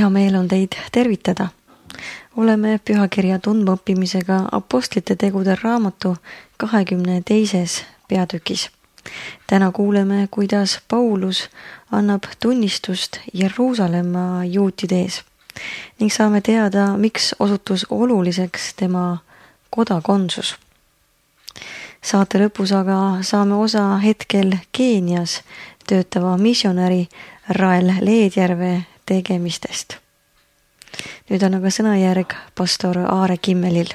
Hea meel on teid tervitada. Oleme pühakirja tundmaõppimisega Apostlite tegude raamatu 22. peatükis. Täna kuuleme, kuidas Paulus annab tunnistust Jeruusalemma juutide ees ning saame teada, miks osutus oluliseks tema kodakondsus. Saate lõpus aga saame osa hetkel Keenias töötava missionäri Rael Leedjärve tegemistest. Nüüd on aga sõnajärg pastor Aare Kimmelil.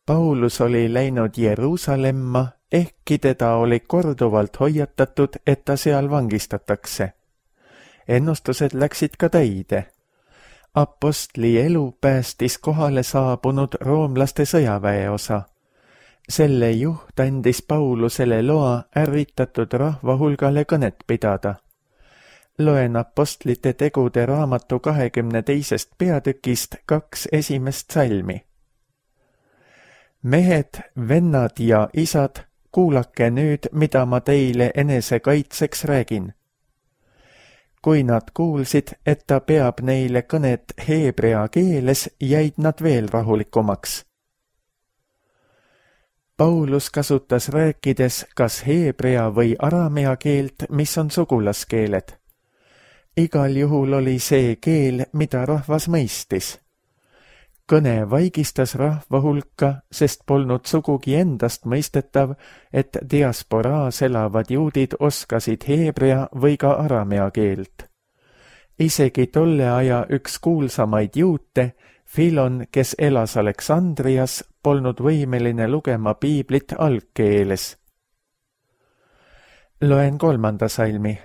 Paulus oli läinud Jeruusalemma, ehkki teda oli korduvalt hoiatatud, et ta seal vangistatakse. Ennustused läksid ka täide. Apostli elu päästis kohale saabunud roomlaste sõjaväeosa. Selle juht andis Paulusele loa ärritatud rahva hulgale kõnet pidada. Loen Apostlite tegude raamatu 22. peatükist 2 esimest salmi. Mehed, vennad ja isad, kuulake nüüd, mida ma teile enesekaitseks räägin. Kui nad kuulsid, et ta peab neile kõnet heebrea keeles, jäid nad veel rahulikumaks. Paulus kasutas rääkides kas heebrea või aramea keelt, mis on sugulaskeeled. Igal juhul oli see keel, mida rahvas mõistis. Kõne vaigistas rahva hulka, sest polnud sugugi endast mõistetav, et diasporaas elavad juudid oskasid heebrea või ka aramea keelt. Isegi tolle aja üks kuulsamaid juute, Filon, kes elas Aleksandrias, polnud võimeline lugema piiblit algkeeles. Loen 3. salmi.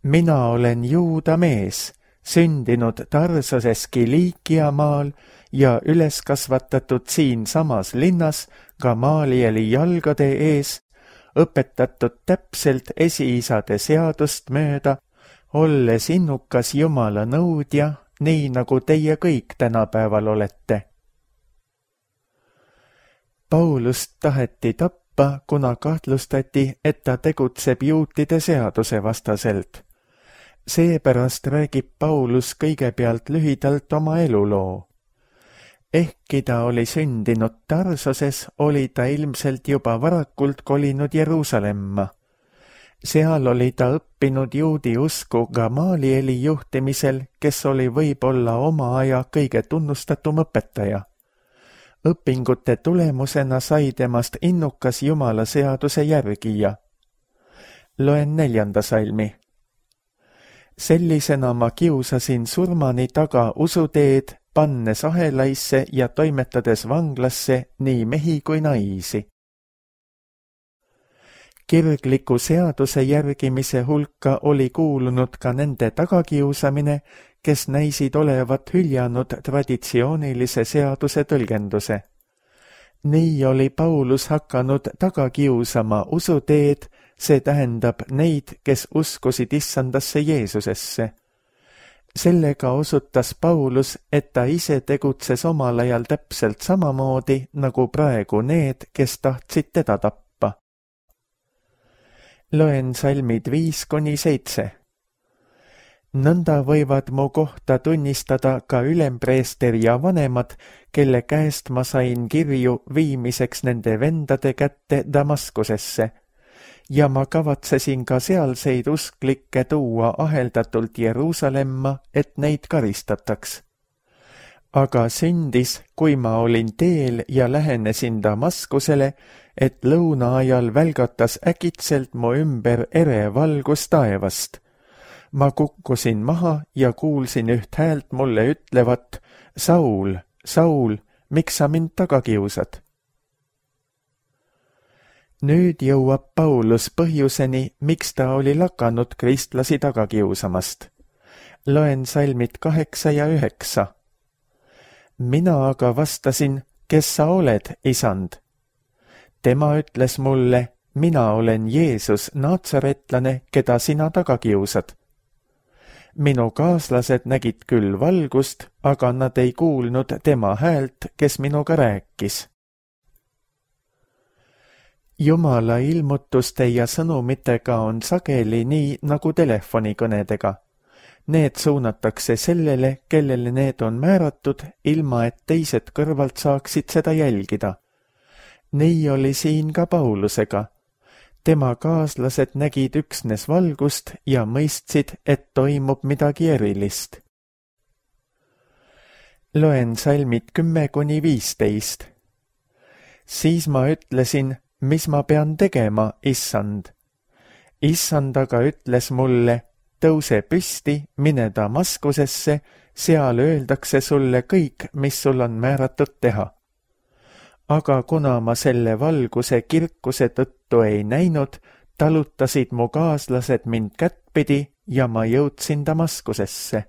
Mina olen juuda mees, sündinud Tarsoses Kiliikia maal ja üles kasvatatud siin samas linnas Gamalieli jalgade ees, õpetatud täpselt esiisade seadust mööda, olles innukas Jumala nõudja, nii nagu teie kõik tänapäeval olete. Paulust taheti tappa, kuna kahtlustati, et ta tegutseb juutide seaduse vastaselt. Seepärast räägib Paulus kõigepealt lühidalt oma eluloo. Ehkki ta oli sündinud Tarsoses, oli ta ilmselt juba varakult kolinud Jeruusalemma. Seal oli ta õppinud juudi usku Gamalieli juhtimisel, kes oli võib-olla oma aja kõige tunnustatum õpetaja. Õpingute tulemusena sai temast innukas Jumala seaduse järgija. Loen 4. salmi. Sellisena ma kiusasin surmani taga usuteed, pannes ahelaisse ja toimetades vanglasse nii mehi kui naisi. Kirgliku seaduse järgimise hulka oli kuulunud ka nende tagakiusamine, kes näisid olevat hüljanud traditsioonilise seaduse tõlgenduse. Nii oli Paulus hakanud tagakiusama usuteed, see tähendab neid, kes uskusid issandasse Jeesusesse. Sellega osutas Paulus, et ta ise tegutses omal ajal täpselt samamoodi nagu praegu need, kes tahtsid teda tappa. Loen salmid 5-7. Nõnda võivad mu kohta tunnistada ka ülempreester ja vanemad, kelle käest ma sain kirju viimiseks nende vendade kätte Damaskusesse, ja ma kavatsesin ka sealseid usklikke tuua aheldatult Jeruusalemma, et neid karistataks. Aga sündis, kui ma olin teel ja lähenesin Damaskusele, et lõuna ajal välgatas äkitselt mu ümber ere valgus taevast. Ma kukkusin maha ja kuulsin üht häält mulle ütlevat, Saul, Saul, miks sa mind taga kiusad? Nüüd jõuab Paulus põhjuseni, miks ta oli lakanud kristlasi taga kiusamast. Loen salmid 8 ja 9. Mina aga vastasin, kes sa oled, isand? Tema ütles mulle, mina olen Jeesus, naatsaretlane, keda sina taga kiusad. Minu kaaslased nägid küll valgust, aga nad ei kuulnud tema häält, kes minuga rääkis. Jumala ilmutuste ja sõnumitega on sageli nii nagu telefonikõnedega. Need suunatakse sellele, kellele need on määratud, ilma et teised kõrvalt saaksid seda jälgida. Nii oli siin ka Paulusega. Tema kaaslased nägid üksnes valgust ja mõistsid, et toimub midagi erilist. Loen salmid 10–15. Siis ma ütlesin, mis ma pean tegema, issand. Issand aga ütles mulle, tõuse püsti, mine Damaskusesse, seal öeldakse sulle kõik, mis sul on määratud teha. Aga kuna ma selle valguse kirkuse tõttu ei näinud, talutasid mu kaaslased mind kättpidi ja ma jõudsin Damaskusesse.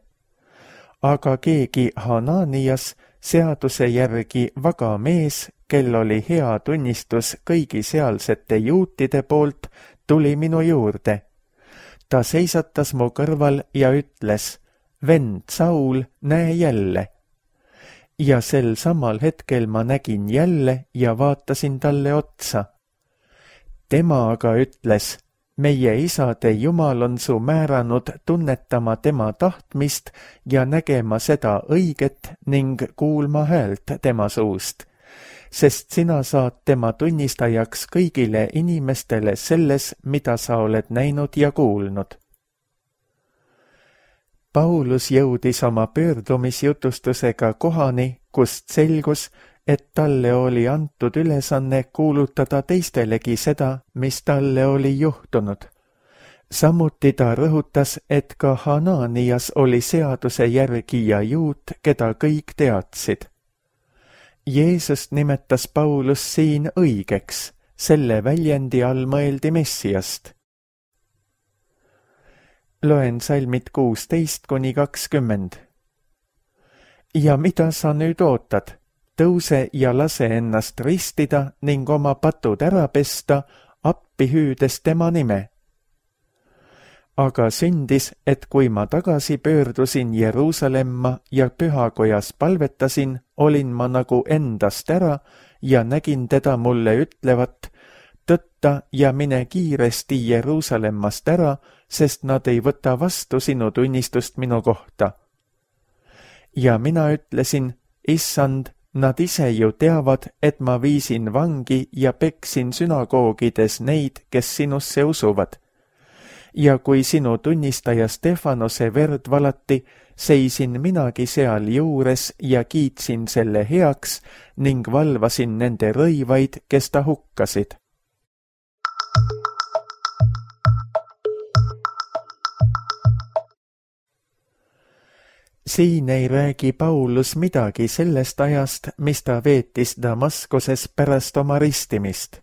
Aga keegi Hananias, seaduse järgi vaga mees, kel oli hea tunnistus kõigi sealsete juutide poolt, tuli minu juurde. Ta seisatas mu kõrval ja ütles, vend Saul, näe jälle. Ja sel samal hetkel ma nägin jälle ja vaatasin talle otsa. Tema aga ütles, meie isade Jumal on su määranud tunnetama tema tahtmist ja nägema seda õiget ning kuulma häält tema suust, sest sina saad tema tunnistajaks kõigile inimestele selles, mida sa oled näinud ja kuulnud. Paulus jõudis oma pöördumisjutustusega kohani, kust selgus, et talle oli antud ülesanne kuulutada teistelegi seda, mis talle oli juhtunud. Samuti ta rõhutas, et ka Hananias oli seaduse järgi ja juut, keda kõik teadsid. Jeesust nimetas Paulus siin õigeks, selle väljendi all mõeldi Messiast. Loen salmid 16–20. Ja mida sa nüüd ootad? Tõuse ja lase ennast ristida ning oma patud ära pesta, appi hüüdes tema nime. Aga sündis, et kui ma tagasi pöördusin Jeruusalemma ja pühakojas palvetasin, olin ma nagu endast ära ja nägin teda mulle ütlevat, tõtta ja mine kiiresti Jeruusalemmast ära, sest nad ei võta vastu sinu tunnistust minu kohta. Ja mina ütlesin, issand, nad ise ju teavad, et ma viisin vangi ja peksin sünagoogides neid, kes sinusse usuvad. Ja kui sinu tunnistaja Stefanose verd valati, seisin minagi seal juures ja kiitsin selle heaks ning valvasin nende rõivaid, kes ta hukkasid. Siin ei räägi Paulus midagi sellest ajast, mis ta veetis Damaskuses pärast oma ristimist.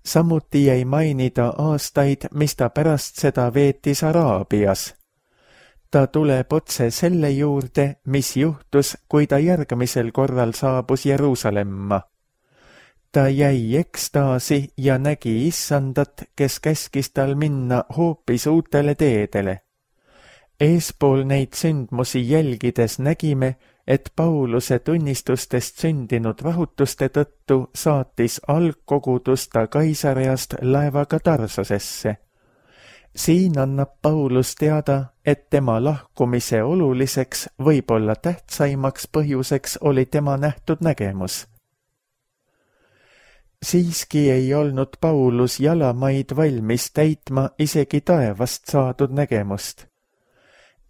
Samuti ei mainida aastaid, mis ta pärast seda veetis Araabias. Ta tuleb otse selle juurde, mis juhtus, kui ta järgmisel korral saabus Jeruusalemma. Ta jäi ekstaasi ja nägi issandat, kes käskis tal minna hoopis uutele teedele. Eespool neid sündmusi jälgides nägime, et Pauluse tunnistustest sündinud rahutuste tõttu saatis algkogudus ta Kaisareast laevaga Tarsosesse. Siin annab Paulus teada, et tema lahkumise oluliseks, võib-olla tähtsaimaks põhjuseks oli tema nähtud nägemus. Siiski ei olnud Paulus jalamaid valmis täitma isegi taevast saadud nägemust.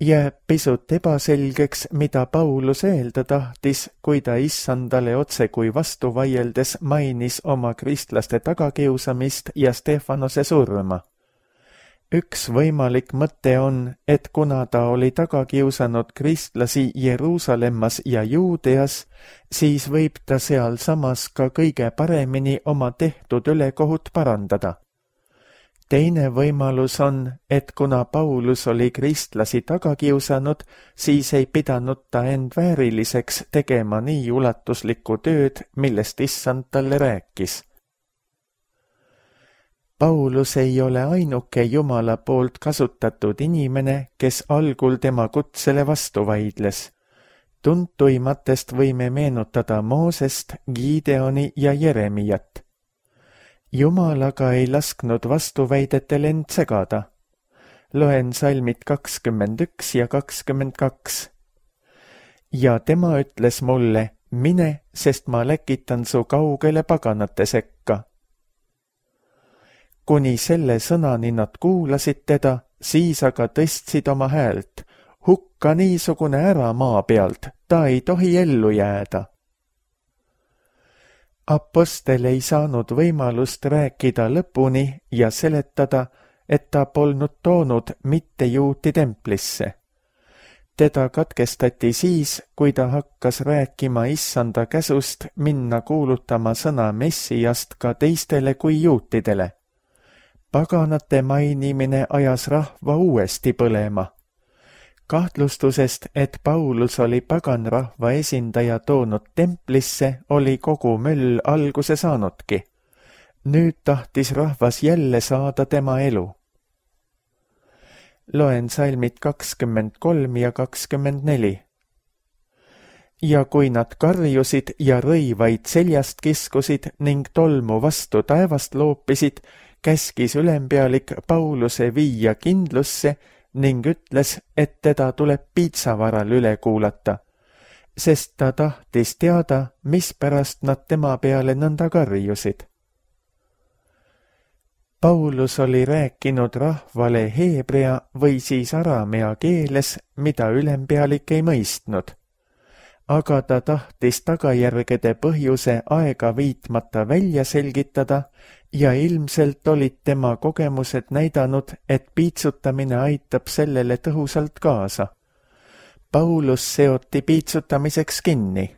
Jääb pisut ebaselgeks, mida Paulus öelda tahtis, kui ta issandale otse kui vastu vaieldes mainis oma kristlaste tagakiusamist ja Stefanose surma. Üks võimalik mõte on, et kuna ta oli tagakiusanud kristlasi Jeruusalemmas ja Juudeas, siis võib ta sealsamas ka kõige paremini oma tehtud ülekohut parandada. Teine võimalus on, et kuna Paulus oli kristlasi tagakiusanud, siis ei pidanud ta end vääriliseks tegema nii ulatuslikku tööd, millest issand talle rääkis. Paulus ei ole ainuke Jumala poolt kasutatud inimene, kes algul tema kutsele vastu vaidles. Tuntuimatest võime meenutada Moosest, Gideoni ja Jeremiat. Jumal aga ei lasknud vastuväidetel end segada. Loen salmid 21 ja 22. Ja tema ütles mulle, mine, sest ma läkitan su kaugele paganate sekka. Kuni selle sõnani nad kuulasid teda, siis aga tõstsid oma häält. Hukka niisugune ära maa pealt, ta ei tohi ellu jääda. Apostel ei saanud võimalust rääkida lõpuni ja seletada, et ta polnud toonud mitte juuti templisse. Teda katkestati siis, kui ta hakkas rääkima issanda käsust minna kuulutama sõna Messiast ka teistele kui juutidele. Paganate mainimine ajas rahva uuesti põlema. Kahtlustusest, et Paulus oli paganrahva esindaja toonud templisse, oli kogu möll alguse saanudki. Nüüd tahtis rahvas jälle saada tema elu. Loen salmid 23 ja 24. Ja kui nad karjusid ja rõivaid seljast kiskusid ning tolmu vastu taevast loopisid, käskis ülempealik Pauluse viia kindlusse ning ütles, et teda tuleb piitsavaral üle kuulata, sest ta tahtis teada, mispärast nad tema peale nõnda karjusid. Paulus oli rääkinud rahvale heebrea või siis aramea keeles, mida ülempealik ei mõistnud. Aga ta tahtis tagajärgede põhjuse aega viitmata välja selgitada ja ilmselt olid tema kogemused näidanud, et piitsutamine aitab sellele tõhusalt kaasa. Paulus seoti piitsutamiseks kinni.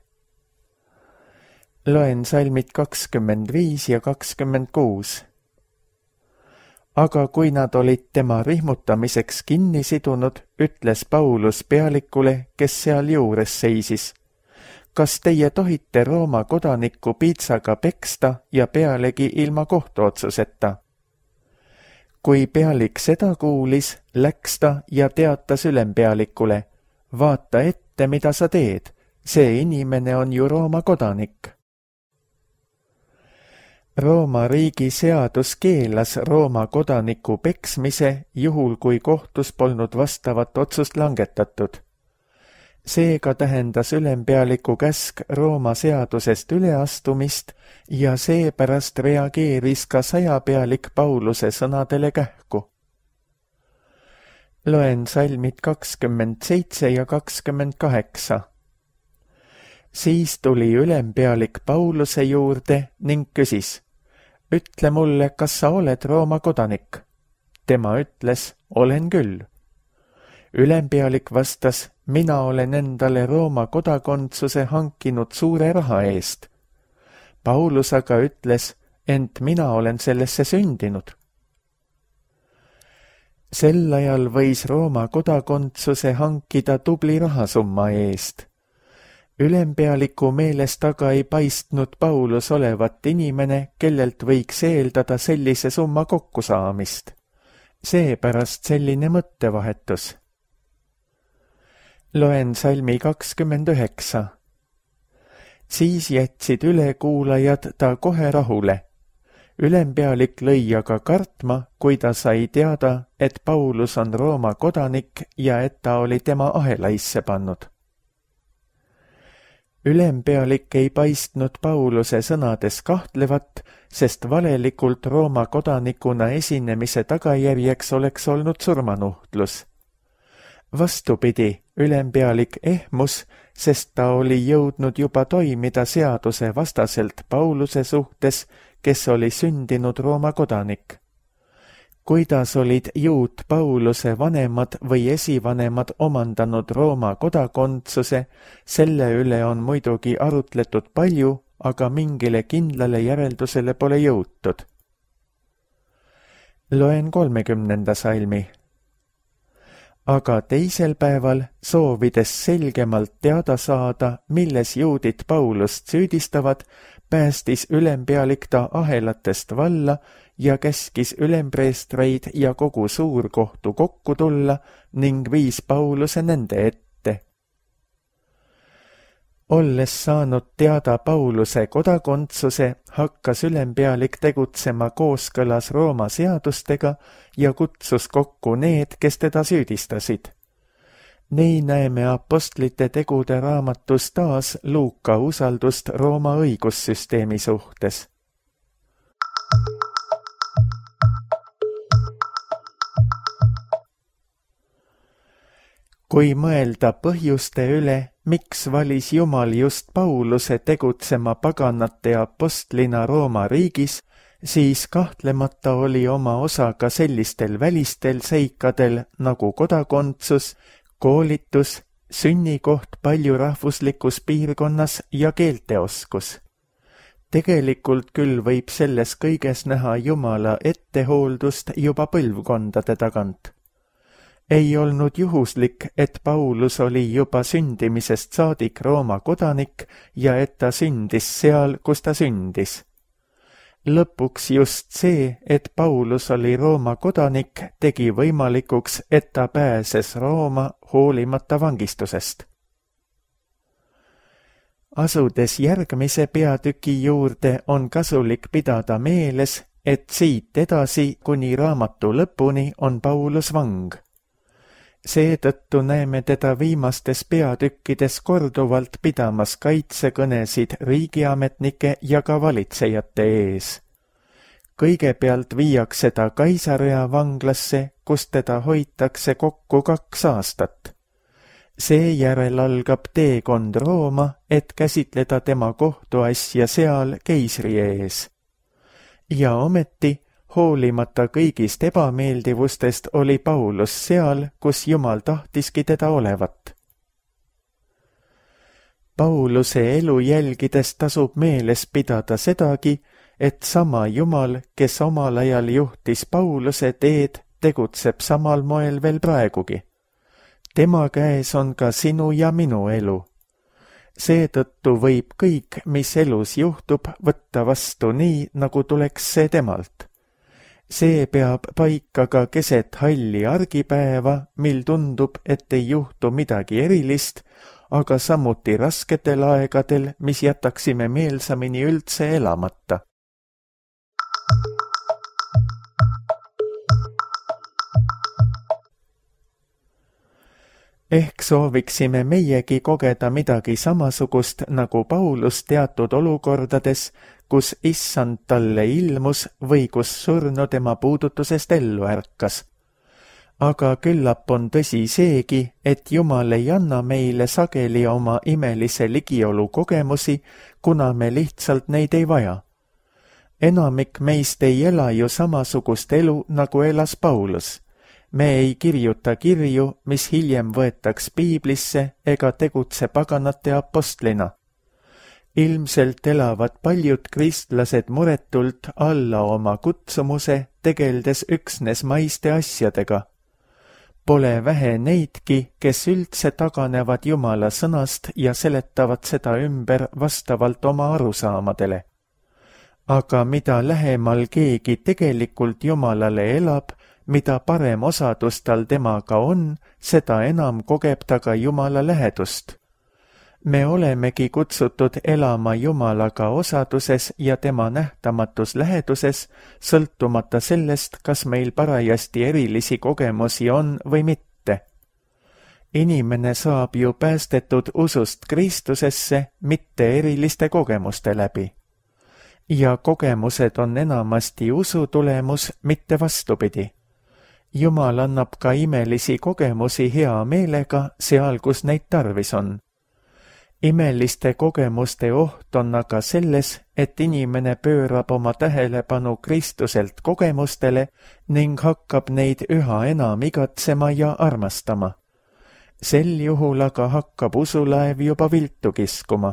Loen salmid 25 ja 26. Aga kui nad olid tema rihmutamiseks kinni sidunud, ütles Paulus pealikule, kes seal juures seisis. Kas teie tohite Rooma kodanikku piitsaga peksta ja pealegi ilma kohtuotsuseta? Kui pealik seda kuulis, läks ta ja teatas ülempealikule, vaata ette, mida sa teed, see inimene on ju Rooma kodanik. Rooma riigi seadus keelas Rooma kodaniku peksmise, juhul kui kohtus polnud vastavat otsust langetatud. Seega tähendas ülempealiku käsk Rooma seadusest üleastumist ja seepärast reageeris ka sajapealik Pauluse sõnadele kähku. Loen salmid 27 ja 28. Siis tuli ülempealik Pauluse juurde ning küsis, ütle mulle, kas sa oled Rooma kodanik? Tema ütles, olen küll. Ülempealik vastas, mina olen endale Rooma kodakondsuse hankinud suure raha eest. Paulus aga ütles, ent mina olen sellesse sündinud. Sel ajal võis Rooma kodakondsuse hankida tubli rahasumma eest. Ülempealiku meelest aga ei paistnud Paulus olevat inimene, kellelt võiks eeldada sellise summa kokkusaamist. Seepärast selline mõttevahetus. Loen salmi 29. Siis jätsid ülekuulajad ta kohe rahule. Ülempealik lõi aga kartma, kui ta sai teada, et Paulus on Rooma kodanik ja et ta oli tema ahelaisse pannud. Ülempealik ei paistnud Pauluse sõnades kahtlevat, sest valelikult Rooma kodanikuna esinemise tagajärjeks oleks olnud surmanuhtlus. Vastupidi, ülempealik ehmus, sest ta oli jõudnud juba toimida seaduse vastaselt Pauluse suhtes, kes oli sündinud Rooma kodanik. Kuidas olid juut Pauluse vanemad või esivanemad omandanud Rooma kodakondsuse, selle üle on muidugi arutletud palju, aga mingile kindlale järeldusele pole jõutud. Loen 30. salmi. Aga teisel päeval, soovides selgemalt teada saada, milles juudid Paulust süüdistavad, päästis ülempealik ta ahelatest valla ja käskis ülempreestreid ja kogu suurkohtu kokku tulla ning viis Pauluse nende ette. Olles saanud teada Pauluse kodakondsuse, hakkas ülempealik tegutsema kooskõlas Rooma seadustega ja kutsus kokku need, kes teda süüdistasid. Nii näeme apostlite tegude raamatus taas Luuka usaldust Rooma õigussüsteemi suhtes. Kui mõelda põhjuste üle, miks valis Jumal just Pauluse tegutsema paganate apostlina Rooma riigis, siis kahtlemata oli oma osa ka sellistel välistel seikadel nagu kodakondsus, koolitus, sünnikoht paljurahvuslikus piirkonnas ja keelteoskus. Tegelikult küll võib selles kõiges näha Jumala ettehooldust juba põlvkondade tagant. Ei olnud juhuslik, et Paulus oli juba sündimisest saadik Rooma kodanik ja et ta sündis seal, kus ta sündis. Lõpuks just see, et Paulus oli Rooma kodanik, tegi võimalikuks, et ta pääses Rooma hoolimata vangistusest. Asudes järgmise peatüki juurde, on kasulik pidada meeles, et siit edasi kuni raamatu lõpuni on Paulus vang. Seetõttu näeme teda viimastes peatükkides korduvalt pidamas kaitsekõnesid riigiametnike ja ka valitsejate ees. Kõigepealt viiakse ta Kaisarea vanglasse, kus teda hoitakse kokku 2 aastat. Seejärel algab teekond Rooma, et käsitleda tema kohtuasja seal keisri ees. Ja ometi, hoolimata kõigist ebameeldivustest oli Paulus seal, kus Jumal tahtiski teda olevat. Pauluse elu jälgides tasub meeles pidada sedagi, et sama Jumal, kes omal ajal juhtis Pauluse teed, tegutseb samal moel veel praegugi. Tema käes on ka sinu ja minu elu. Seetõttu võib kõik, mis elus juhtub, võtta vastu nii, nagu tuleks see temalt. See peab paika ka keset halli argipäeva, mil tundub, et ei juhtu midagi erilist, aga samuti rasketel aegadel, mis jätaksime meelsamini üldse elamata. Ehk sooviksime meiegi kogeda midagi samasugust nagu Paulus teatud olukordades, kus issand talle ilmus või kus surnu tema puudutusest ellu ärkas. Aga küllap on tõsi seegi, et Jumal ei anna meile sageli oma imelise ligiolu kogemusi, kuna me lihtsalt neid ei vaja. Enamik meist ei ela ju samasugust elu, nagu elas Paulus. Me ei kirjuta kirju, mis hiljem võetaks piiblisse ega tegutse paganate apostlina. Ilmselt elavad paljud kristlased muretult alla oma kutsumuse, tegeldes üksnes maiste asjadega. Pole vähe neidki, kes üldse taganevad Jumala sõnast ja seletavad seda ümber vastavalt oma arusaamadele. Aga mida lähemal keegi tegelikult Jumalale elab, mida parem osadus tal temaga on, seda enam kogeb ta ka Jumala lähedust. Me olemegi kutsutud elama Jumalaga osaduses ja tema nähtamatus läheduses, sõltumata sellest, kas meil parajasti erilisi kogemusi on või mitte. Inimene saab ju päästetud usust Kristusesse, mitte eriliste kogemuste läbi. Ja kogemused on enamasti usu tulemus, mitte vastupidi. Jumal annab ka imelisi kogemusi hea meelega seal, kus neid tarvis on. Imeliste kogemuste oht on aga selles, et inimene pöörab oma tähelepanu Kristuselt kogemustele ning hakkab neid üha enam igatsema ja armastama. Sel juhul aga hakkab usulaev juba viltu kiskuma.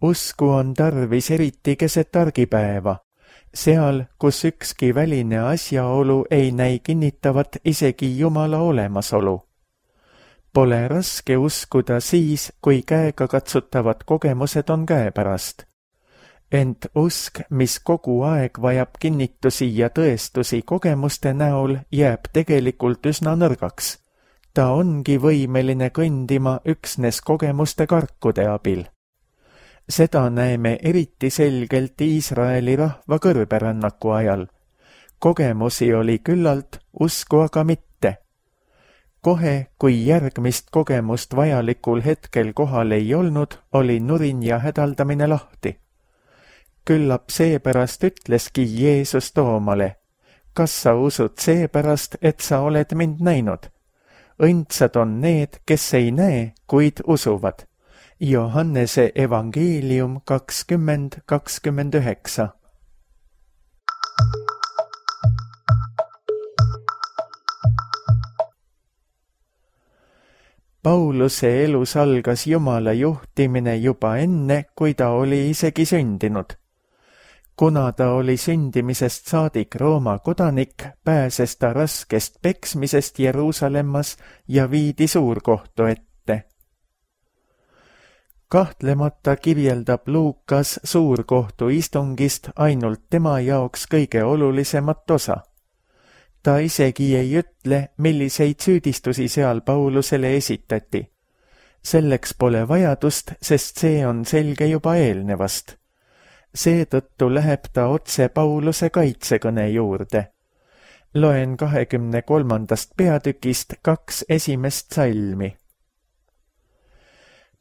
Usku on tarvis eriti keset argipäeva. Seal, kus ükski väline asjaolu ei näi kinnitavat isegi Jumala olemasolu. Pole raske uskuda siis, kui käegakatsutavad kogemused on käepärast. Ent usk, mis kogu aeg vajab kinnitusi ja tõestusi kogemuste näol, jääb tegelikult üsna nõrgaks. ta ongi võimeline kõndima üksnes kogemuste karkude abil. Seda näeme eriti selgelt Iisraeli rahva kõrberännaku ajal. Kogemusi oli küllalt, usku aga mitte. Kohe, kui järgmist kogemust vajalikul hetkel kohal ei olnud, oli nurin ja hädaldamine lahti. Küllap seepärast ütleski Jeesus Toomale: kas sa usud seepärast, et sa oled mind näinud? Õndsad on need, kes ei näe, kuid usuvad. Johannese evangeelium 20:29. Pauluse elus algas Jumala juhtimine juba enne, kui ta oli isegi sündinud. Kuna ta oli sündimisest saadik Rooma kodanik, pääses ta raskest peksmisest Jeruusalemmas ja viidi suurkohtu ette. Kahtlemata kirjeldab Luukas suurkohtu istungist ainult tema jaoks kõige olulisemat osa. Ta isegi ei ütle, milliseid süüdistusi seal Paulusele esitati. Selleks pole vajadust, sest see on selge juba eelnevast. Seetõttu läheb ta otse Pauluse kaitsekõne juurde. Loen 23. peatükist 2 esimest salmi.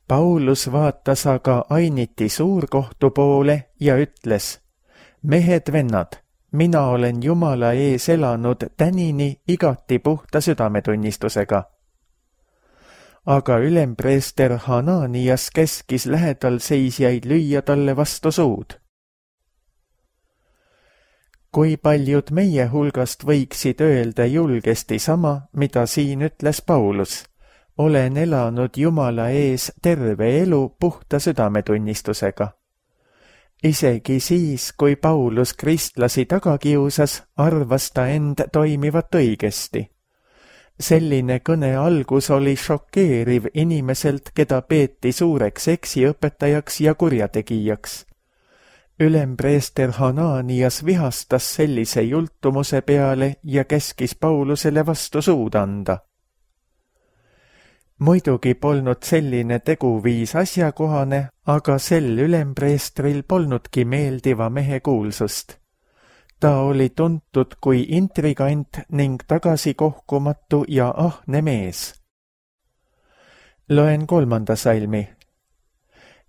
Paulus vaatas aga ainiti suurkohtu poole ja ütles: mehed-vennad, mina olen Jumala ees elanud tänini igati puhta südametunnistusega. Aga ülempreester Hananias käskis lähedal seisjaid lüüa talle vastu suud. Kui paljud meie hulgast võiksid öelda julgesti sama, mida siin ütles Paulus: olen elanud Jumala ees terve elu puhta südametunnistusega. Isegi siis, kui Paulus kristlasi taga kiusas, arvas ta end toimivat õigesti. Selline kõne algus oli šokeeriv inimeselt, keda peeti suureks eksiõpetajaks ja kurjategijaks. Ülempreester Hananias vihastas sellise jultumuse peale ja käskis Paulusele vastu suud anda. Muidugi polnud selline teguviis asjakohane, aga sel ülempreestril polnudki meeldiva mehe kuulsust. Ta oli tuntud kui intrigant ning tagasikohkumatu ja ahne mees. Loen 3. salmi.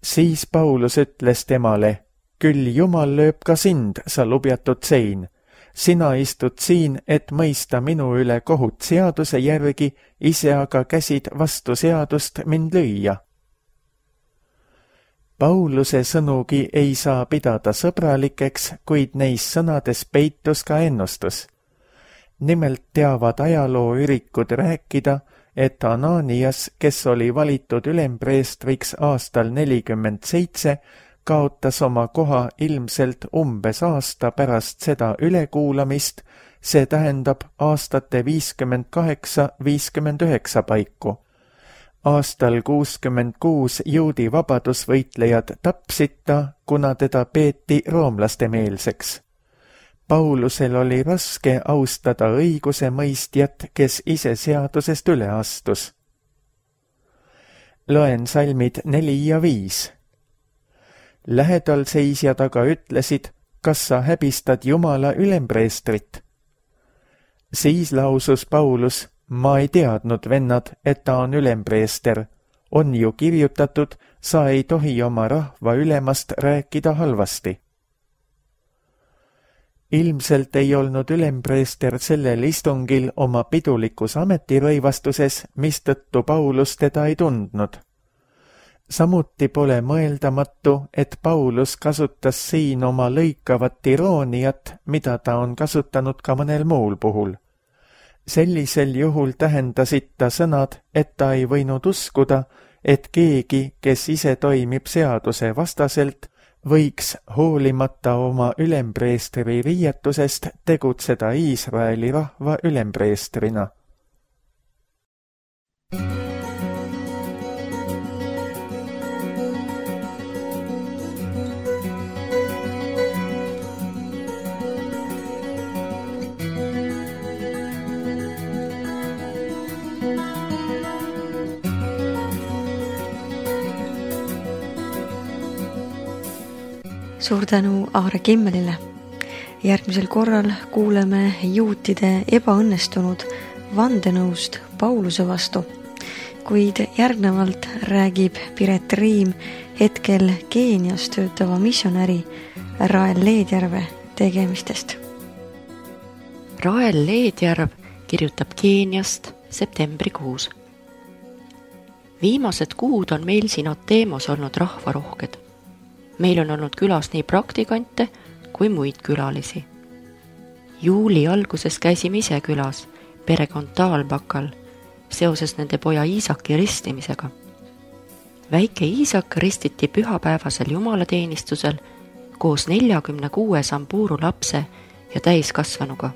Siis Paulus ütles temale: küll Jumal lööb ka sind, sa lubjatud sein. Sina istud siin, et mõista minu üle kohut seaduse järgi, ise aga käsid vastu seadust mind lüüa. Pauluse sõnugi ei saa pidada sõbralikeks, kuid neis sõnades peitus ka ennustus. Nimelt teavad ajalooürikud rääkida, et Ananias, kes oli valitud ülempreestriks aastal 47, kaotas oma koha ilmselt umbes aasta pärast seda ülekuulamist, see tähendab aastate 58-59 paiku. Aastal 66 juudi vabadusvõitlejad tapsid ta, kuna teda peeti roomlaste meelseks. Paulusel oli raske austada õigusemõistjat, kes ise seadusest üle astus. Loen salmid 4 ja 5. Lähedal seisjad aga ütlesid: kas sa häbistad Jumala ülempreestrit? Siis lausus Paulus: ma ei teadnud, vennad, et ta on ülempreester. On ju kirjutatud, sa ei tohi oma rahva ülemast rääkida halvasti. Ilmselt ei olnud ülempreester sellel istungil oma pidulikus ametirõivastuses, mistõttu Paulus teda ei tundnud. Samuti pole mõeldamatu, et Paulus kasutas siin oma lõikavat irooniat, mida ta on kasutanud ka mõnel muul puhul. Sellisel juhul tähendasid ta sõnad, et ta ei võinud uskuda, et keegi, kes ise toimib seaduse vastaselt, võiks hoolimata oma ülempreestri riietusest tegutseda Iisraeli rahva ülempreestrina. Suur tänu Aare Kimmelile. Järgmisel korral kuuleme juutide ebaõnnestunud vandenõust Pauluse vastu, kuid järgnevalt räägib Piret Riim hetkel Keenias töötava missionäri Rael Leedjärve tegemistest. Rael Leedjärv kirjutab Keeniast septembrikuus. Viimased kuud on meil siin Ateemos olnud rahvarohked. Meil on olnud külas nii praktikante kui muid külalisi. Juuli alguses käisime ise külas, perekond Taalbakal, seoses nende poja Iisaki ristimisega. Väike Iisak ristiti pühapäevasel jumalateenistusel koos 46 Samburu lapse ja täiskasvanuga.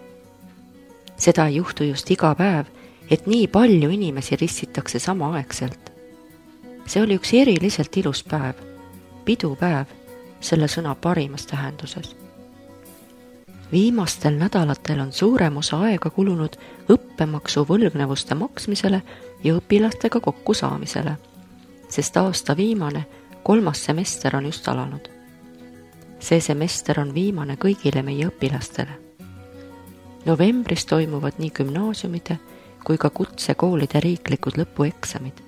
Seda ei juhtu just iga päev, et nii palju inimesi ristitakse samaaegselt. See oli üks eriliselt ilus päev, pidupäev, selle sõna parimas tähenduses. Viimastel nädalatel on suurem osa aega kulunud õppemaksu võlgnevuste maksmisele ja õpilastega kokkusaamisele, sest aasta viimane 3. semester on just alanud. See semester on viimane kõigile meie õpilastele. Novembris toimuvad nii gümnaasiumide kui ka kutsekoolide riiklikud lõpueksamid.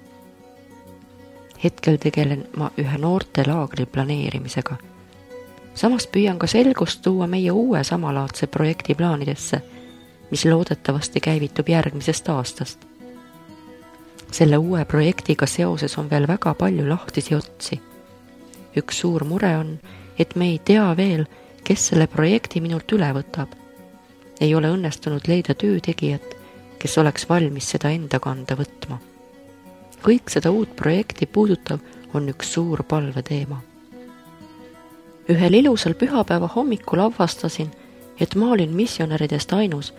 Hetkel tegelen ma ühe noortelaagri planeerimisega. Samas püüan ka selgust tuua meie uue samalaadse projekti plaanidesse, mis loodetavasti käivitub järgmisest aastast. Selle uue projektiga seoses on veel väga palju lahtisi otsi. Üks suur mure on, et me ei tea veel, kes selle projekti minult üle võtab. Ei ole õnnestunud leida töötegijat, kes oleks valmis seda enda kanda võtma. Kõik seda uut projekti puudutav on üks suur palveteema. Ühel ilusal pühapäeva hommikul avastasin, et ma olin missionäridest ainus,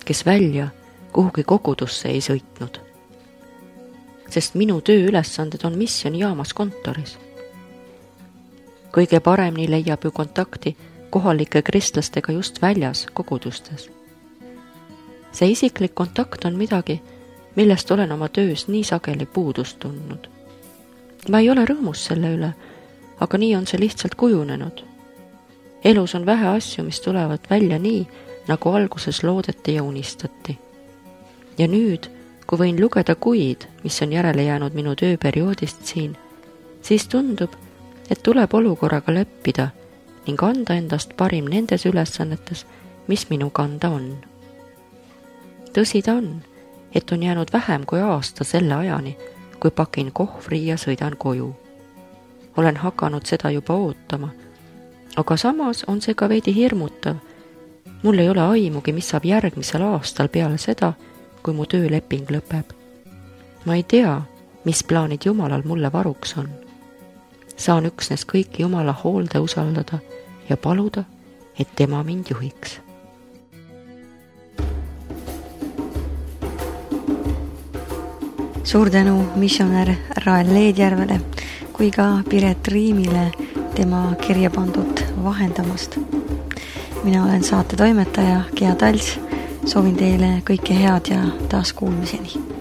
kes välja kuhugi kogudusse ei sõitnud. Sest minu tööülesanded on missionijaamas kontoris. Kõige paremini leiab ju kontakti kohalike kristlastega just väljas kogudustes. See isiklik kontakt on midagi, millest olen oma töös nii sageli puudust tundnud. Ma ei ole rõõmus selle üle, aga nii on see lihtsalt kujunenud. Elus on vähe asju, mis tulevad välja nii, nagu alguses loodeti ja unistati. Ja nüüd, kui võin lugeda kuid, mis on järele jäänud minu tööperioodist siin, siis tundub, et tuleb olukorraga leppida ning anda endast parim nendes ülesannetes, mis minu kanda on. Tõsi ta on, et on jäänud vähem kui aasta selle ajani, kui pakin kohvri ja sõidan koju. Olen hakanud seda juba ootama, aga samas on see ka veidi hirmutav. Mul ei ole aimugi, mis saab järgmisel aastal peale seda, kui mu tööleping lõpeb. Ma ei tea, mis plaanid Jumalal mulle varuks on. Saan üksnes kõiki Jumala hoolde usaldada ja paluda, et tema mind juhiks. Suur tänu missionär Rael Leedjärvele kui ka Piret Riimile tema kirja pandud vahendamast. Mina olen saate toimetaja Gea Tals, soovin teile kõike head ja taas kuulmiseni.